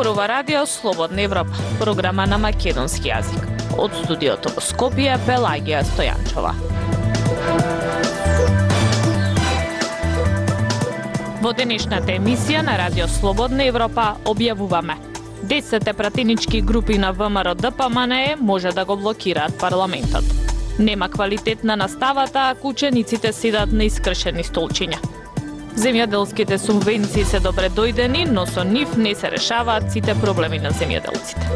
Зборува Радио Слободна Европа, програма на македонски јазик. Од студиото во Скопје, Пелагија Стојанчова. Во денешната емисија на Радио Слободна Европа објавуваме: 10 пратенички групи на ВМРО ДПМНЕ може да го блокираат парламентот. Нема квалитет на наставата ако учениците седат на искршени столчиња. Земјоделските субвенции се добре дојдени, но со нив не се решаваат сите проблеми на земјоделците.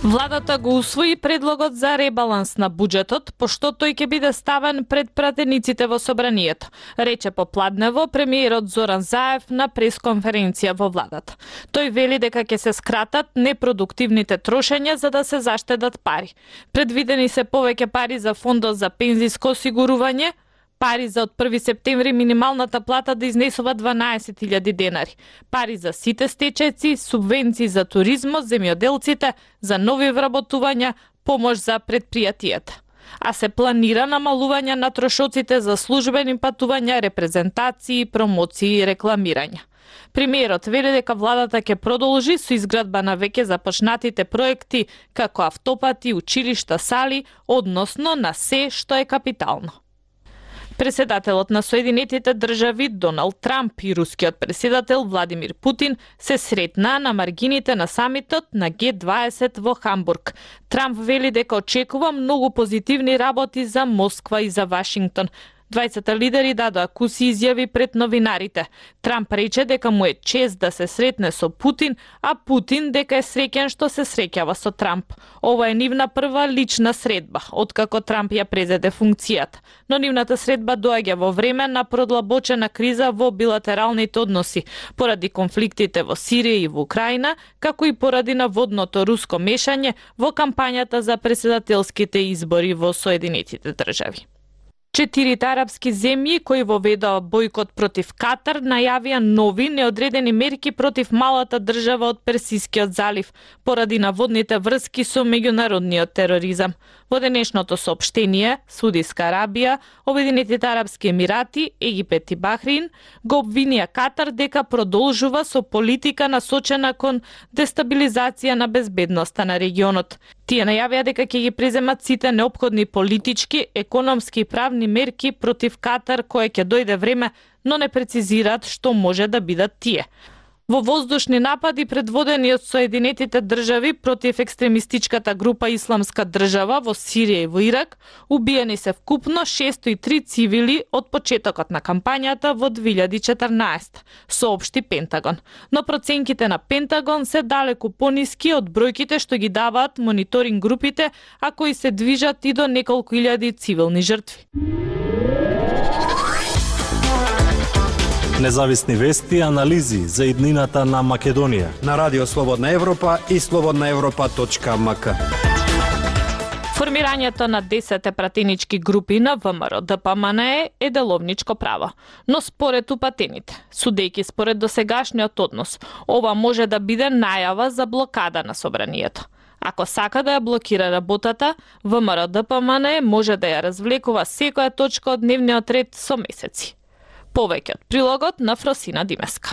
Владата го усвои предлогот за ребаланс на буџетот, пошто тој ќе биде ставен пред пратениците во собранието, рече попладнево премиерот Зоран Заев на пресконференција во владата. Тој вели дека ќе се скратат непродуктивните трошења за да се заштедат пари. Предвидени се повеќе пари за фондот за пензиско осигурување, пари за од 1 септември минималната плата да изнесува 12.000 денари, пари за сите стечајци, субвенции за туризмот, земјоделците, за нови вработувања, помош за предпријатијата. А се планира намалување на трошоците за службени патувања, репрезентации, промоции и рекламирање. Премиерот вели дека владата ќе продолжи со изградба на веќе започнатите проекти како автопати, училишта, сали, односно на се што е капитално. Преседателот на Соединетите држави Доналд Трамп и рускиот преседател Владимир Путин се сретнаа на маргините на самитот на Г20 во Хамбург. Трамп вели дека очекува многу позитивни работи за Москва и за Вашингтон. 20 лидери дадоа куси изјави пред новинарите. Трамп рече дека му е чест да се сретне со Путин, а Путин дека е среќен што се среќава со Трамп. Ова е нивна прва лична средба, откако Трамп ја презеде функцијата. Но нивната средба доаѓа во време на продлабочена криза во билатералните односи, поради конфликтите во Сирија и во Украина, како и поради наводното руско мешање во кампањата за преседателските избори во Соединетите држави. 4 арапски земји кои воведоа бојкот против Катар најавија нови неодредени мерки против малата држава од Персискиот залив поради наводните врски со меѓународниот тероризам. Во денешното соопштение, Саудиска Арабија, Обединетите арапски емирати, Египет и Бахрин го обвинија Катар дека продолжува со политика насочена кон дестабилизација на безбедноста на регионот. Тие најавија дека ќе ги преземат сите неопходни политички, економски и правни мерки против Катар кое ќе дојде време, но не прецизираат што може да бидат тие. Во воздушни напади предводени од Соединетите држави против екстремистичката група Исламска држава во Сирија и во Ирак, убиени се вкупно 603 цивили од почетокот на кампањата во 2014, соопшти Пентагон. Но проценките на Пентагон се далеку пониски од бројките што ги даваат мониторинг групите, а кои се движат и до неколку илјади цивилни жртви. Независни вести и анализи за иднината на Македонија на Радио Слободна Европа и slobodnaevropa.mk. Формирањето на 10 пратенички групи на ВМРО ДПМНЕ е деловничко право, но според упатените, судејќи според досегашниот однос, ова може да биде најава за блокада на собранието. Ако сака да ја блокира работата, ВМРО ДПМНЕ може да ја развлекува секоја точка од дневниот ред со месеци. Повеќе од прилогот на Фросина Димеска.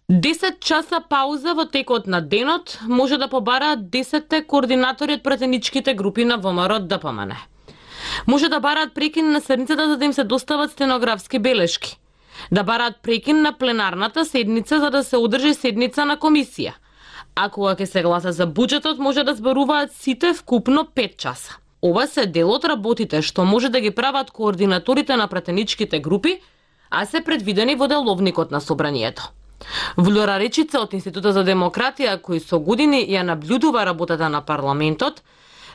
10 часа пауза во текот на денот може да побараат 10 координатори од пратеничките групи на ВМРО ДПМНЕ. Може да бараат прекин на седницата за да им се достават стенографски белешки. Да бараат прекин на пленарната седница за да се одржи седница на комисија. А кога ќе се гласа за буџетот може да зборуваат сите вкупно 5 часа. Ова се дел од работите што може да ги прават координаторите на пратеничките групи, а се предвидени во деловникот на собранието. Влора Речица од Институтот за демократија, кој со години ја наблюдува работата на парламентот,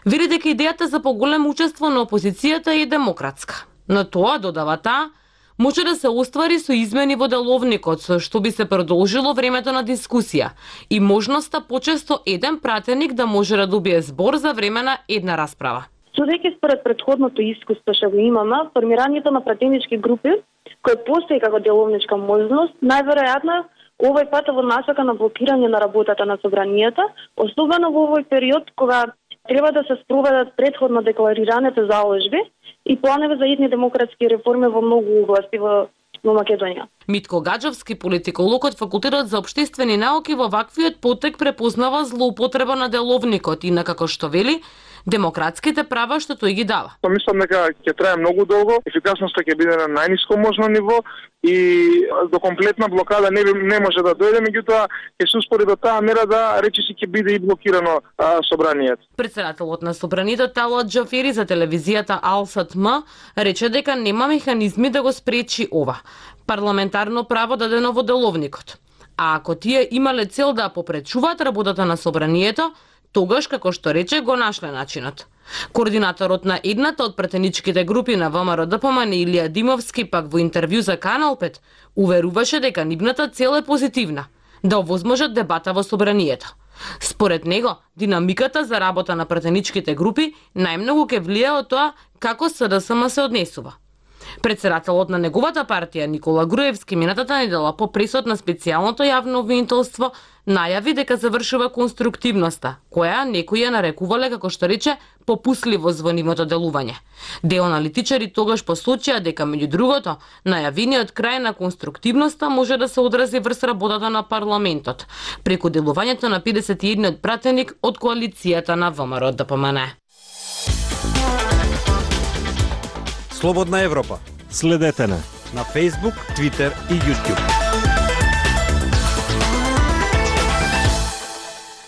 вери дека идејата за поголемо учество на опозицијата е демократска. Но тоа, додава таа, може да се оствари со измени во деловникот, со што би се продолжило времето на дискусија и можноста почесто еден пратеник да може да добие збор за време на една расправа. Судејќи според претходното искуство што го имаме, формирањето на пратенички групи кој постои како деловничка можност, најверојатно овој пат во насока на блокирање на работата на собранието, особено во овој период кога треба да се спроведат претходно декларираните заложби и планови за идни демократски реформи во многу области во Македонија. Митко Гаджовски, политиколог од Факултетот за општествени науки, во ваквиот потек препознава злоупотреба на деловникот и на како што вели, демократските права што тој ги дава. Мислам дека ќе трае многу долго, ефикасноста ќе биде на најниско можно ниво и до комплетна блокада не може да дојде, меѓутоа ќе се успори до таа мера да речиси ќе биде и блокирано собранието. Председателот на собранието Талат Џафери за телевизијата Алсат М рече дека нема механизми да го спречи ова парламентарно право дадено во деловникот. А ако тие имале цел да попречуваат работата на собранието, тогаш, како што рече, го нашле начинот. Координаторот на едната од пратеничките групи на ВМРО ДПМН Илија Димовски пак во интервју за Канал 5 уверуваше дека нивната цел е позитивна, да овозможат дебата во собранието. Според него, динамиката за работа на пратеничките групи најмногу ќе влие од тоа како СДСМ се однесува. Председателот на неговата партија Никола Груевски минатата недела по пресод на специјалното јавно обвинителство најави дека завршува конструктивноста, која некои ја нарекувале, како што рече, попусливост во нивното делување. Дел аналитичари тогаш посочија дека, меѓу другото, најавениот крај на конструктивноста може да се одрази врз работата на парламентот, преку делувањето на 51 пратеник од коалицијата на ВМРО ДПМН. Слободна Европа. Следете не На Facebook, Twitter и YouTube.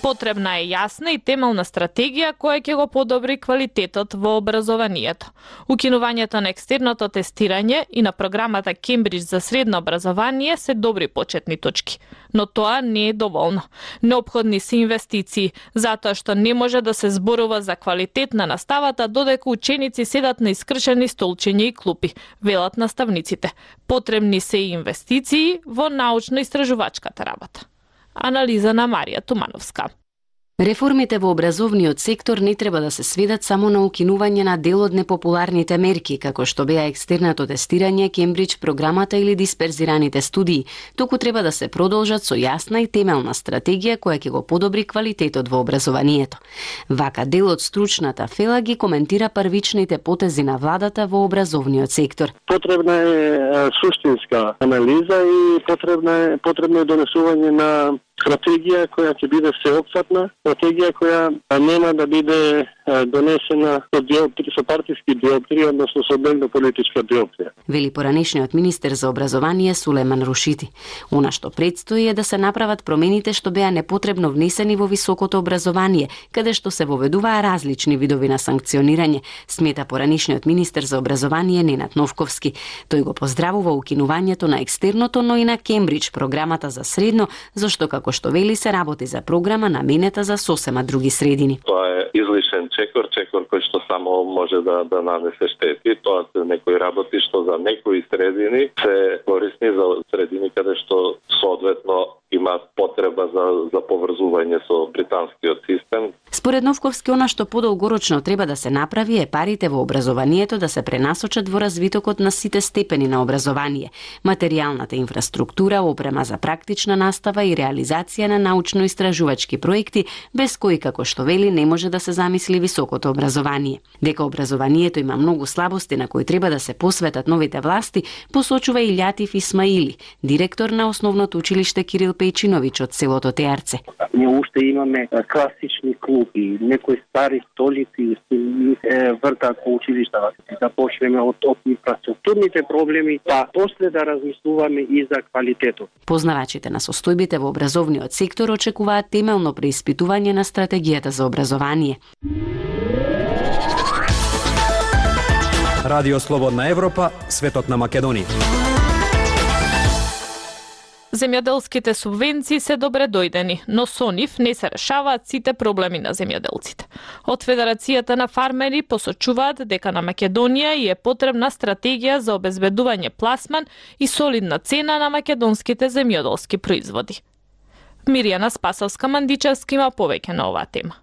Потребна е јасна и темелна стратегија која ќе го подобри квалитетот во образованието. Укинувањето на екстерното тестирање и на програмата Кембридж за средно образование се добри почетни точки, но тоа не е доволно. Неопходни се инвестиции, затоа што не може да се зборува за квалитет на наставата додека ученици седат на искршени столчиња и клупи, велат наставниците. Потребни се и инвестиции во научно-истражувачката работа. Анализа на Марија Тумановска. Реформите во образовниот сектор не треба да се сведат само на укинување на дел од непопуларните мерки, како што беа екстерното тестирање, Кембридж програмата или дисперзираните студии, туку треба да се продолжат со јасна и темелна стратегија која ќе го подобри квалитетот во образованието. Вака дел од стручната фела ги коментира првичните потези на владата во образовниот сектор. Потребна е суштинска анализа и потребно е донесување на стратегија која ќе биде всеопфатна, стратегија која нема да биде донесена со партиски диоптрии, односно со дневно политичка диоптрија. Вели поранешниот министер за образование Сулеман Рушити. Она што предстои е да се направат промените што беа непотребно внесени во високото образование, каде што се воведуваа различни видови на санкционирање, смета поранешниот министер за образование Ненад Новковски. Тој го поздравува укинувањето на екстерното, но и на Кембридж програмата за средно, зашто како што вели се работи за програма наменета за сосема други средини. Тоа е излишен чекор кој што само може да нанесе штети. Тоа се некои работи што за некои средини се корисни за средини каде што соодветно има потреба за поврзување со британскиот систем. Според Новковски, она што подолгорочно треба да се направи е парите во образованието да се пренасочат во развитокот на сите степени на образование, материјалната инфраструктура, опрема за практична настава и реализација на научно-истражувачки проекти, без кои, како што вели, не може да се замисли високото образование. Дека образованието има многу слабости на кои треба да се посветат новите власти, посочува и Лјатиф Исмаили, директор на основното училиште Кирил Пејчиновиќ од селото Теарце. Ние уште имаме класични клупи, некои стари столици вртаат по училиштата. Да почнеме од инфраструктурните проблеми, па после да размислуваме и за квалитетот. Познавачите на состојбите во образовниот сектор очекуваат темелно преиспитување на стратегијата за образование. Радио Слободна Европа, светот на Македонија. Земјоделските субвенции се добре дојдени, но со нив не се решаваат сите проблеми на земјоделците. Од Федерацијата на фармери посочуваат дека на Македонија е потребна стратегија за обезбедување пласман и солидна цена на македонските земјоделски производи. Миријана Спасовска-Мандичевска има повеќе на оваа тема.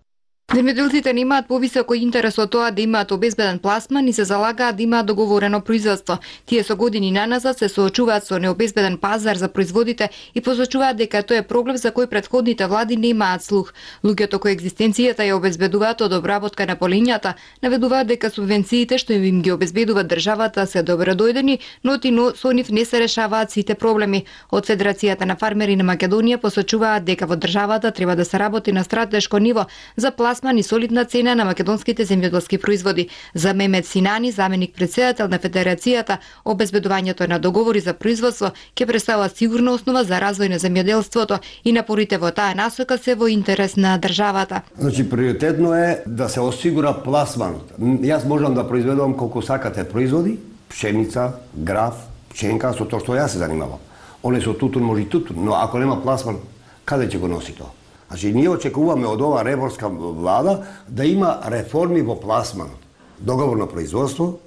Земјоделците немаат повисоко интерес од тоа да имаат обезбеден пласман и се залагаат да имаат договорено производство. Тие со години наназад се соочуваат со необезбеден пазар за производите и посочуваат дека тоа е проблем за кој претходните влади немаат слух. Луѓето кои екзистенцијата ја обезбедуваат од обработка на полињата наведуваат дека субвенциите што им ги обезбедува државата се добродојдени, но со нив не се решаваат сите проблеми. Од Федерацијата на фармери на Македонија посочуваат дека во државата треба да се работи на стратешко ниво за пласман и солидна цена на македонските земјоделски производи. За Мемет Синани, заменик претседател на Федерацијата, обезбедувањето на договори за производство ќе представува сигурна основа за развој на земјоделството и напорите во таа насока се во интерес на државата. Значи приоритетно е да се осигура пласманот. Јас можам да произведувам колку сакате производи, пшеница, граф, пченка, со тоа што јас се занимавам. Оне со тутун може и тутун, но ако нема пласман, каде ќе го носи тоа? Значи, ние очекуваме од ова реформска влада да има реформи во пласманот. Договорно производство,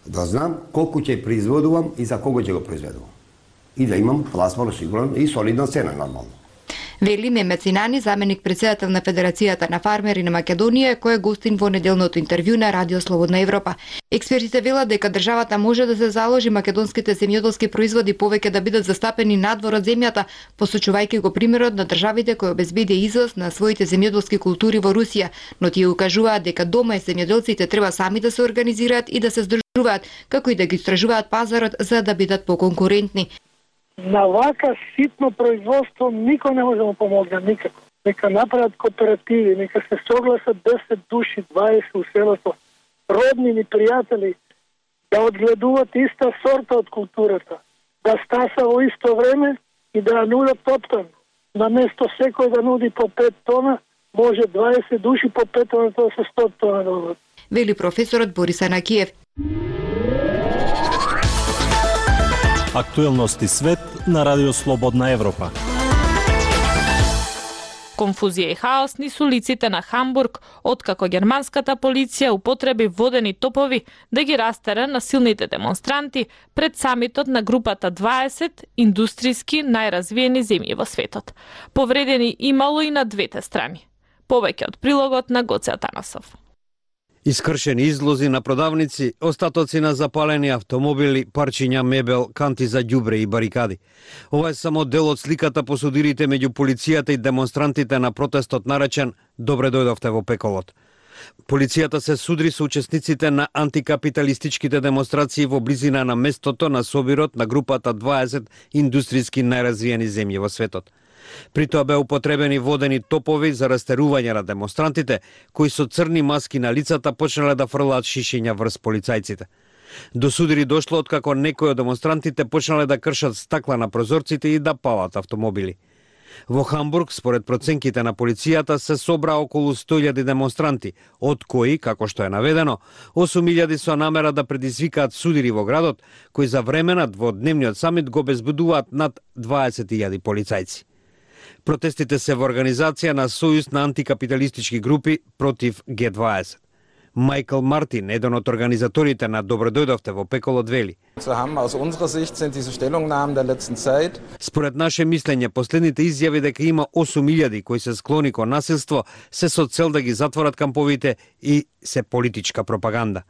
да знам колку ќе произведувам и за кого ќе го произведувам. И да имам пласман осигурен и солидна цена, нормално. Вели Мемет Синани, заменик претседател на Федерацијата на фармери на Македонија, кој е гостин во неделното интервју на Радио Слободна Европа. Експертите велат дека државата може да се заложи македонските земјоделски производи повеќе да бидат застапени надвор од земјата, посочувајќи го примерот на државите кои обезбеди извоз на своите земјоделски култури во Русија, но тие укажуваат дека дома земјоделците треба сами да се организираат и да се здружуваат, како и да ги истражуваат пазарот за да бидат поконкурентни. На вака ситно производство никој не може да му помогне никако. Нека направат кооперативи, нека се согласат 10 души, 20 у селото, роднини, пријатели, да одгледуват иста сорта од културата, да стаса во исто време и да ја нудат топтан. На место секој да нуди по 5 тона, може 20 души по 5 тона, тоа се 100 тона да нудат. Вели професорот Борис Анакиев. Актуелности свет на Радио Слободна Европа. Конфузија и хаос низ улиците на Хамбург, откако германската полиција употреби водени топови да ги растера насилните демонстранти пред самитот на групата 20 индустријски најразвиени земји во светот. Повредени имало и на двете страни. Повеќе од прилогот на Гоце Атанасов. Искршени излози на продавници, остатоци на запалени автомобили, парчиња мебел, канти за ѓубре и барикади. Ова е само дел од сликата по судирите меѓу полицијата и демонстрантите на протестот наречен "Добре дојдовте во пеколот". Полицијата се судри со учесниците на антикапиталистичките демонстрации во близина на местото на собирот на групата 20 индустријски најразвиени земји во светот. При тоа беа употребени водени топови за растерување на демонстрантите, кои со црни маски на лицата почнале да фрлаат шишиња врз полицајците. До судири дошло откако некои од демонстрантите почнале да кршат стакла на прозорците и да палат автомобили. Во Хамбург, според проценките на полицијата, се собра околу 100.000 демонстранти, од кои, како што е наведено, 8.000 со намера да предизвикаат судири во градот, кои за време на дводневниот самит го обезбедуваат над 20.000 полицајци. Протестите се во организација на Сојуз на антикапиталистички групи против G20. Майкл Мартин, еден од организаторите на Добре дојдовте во пеколот, вели: Според наше мислење, последните изјави дека има 8.000 кои се склони кон насилство се со цел да ги затворат камповите и се политичка пропаганда.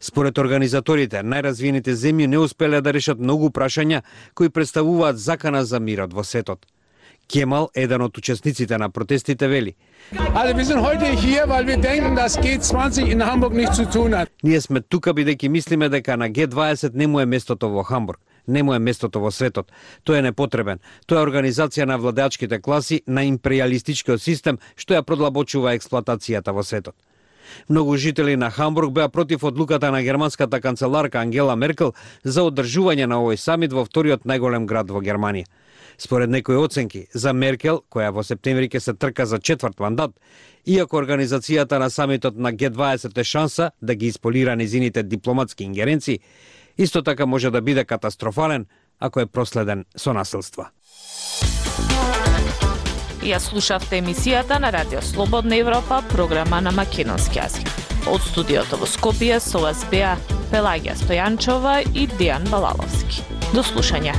Според организаторите, најразвиените земји не успеле да решат многу прашања кои представуваат закана за мирот во светот. Кемал, еден од учесниците на протестите, вели: Ние сме тука бидејќи мислиме дека на G20 не му е местото во Хамбург, не му е местото во светот. Тој е непотребен. Тоа е организација на владеачките класи на империалистичкиот систем што ја продлабочува експлоатацијата во светот. Многу жители на Хамбург беа против одлуката на германската канцеларка Ангела Меркел за одржување на овој самит во вториот најголем град во Германија. Според некои оценки, за Меркел, која во септември ќе се трка за 4 мандат, иако организацијата на самитот на G20 е шанса да ги исполира незините дипломатски ингеренции, исто така може да биде катастрофален ако е проследен со насилства. Ја слушавте емисијата на Радио Слободна Европа, програма на македонски јазик. Од студиото во Скопје со вас беа Пелагија Стојанчова и Дејан Балаловски. До слушање.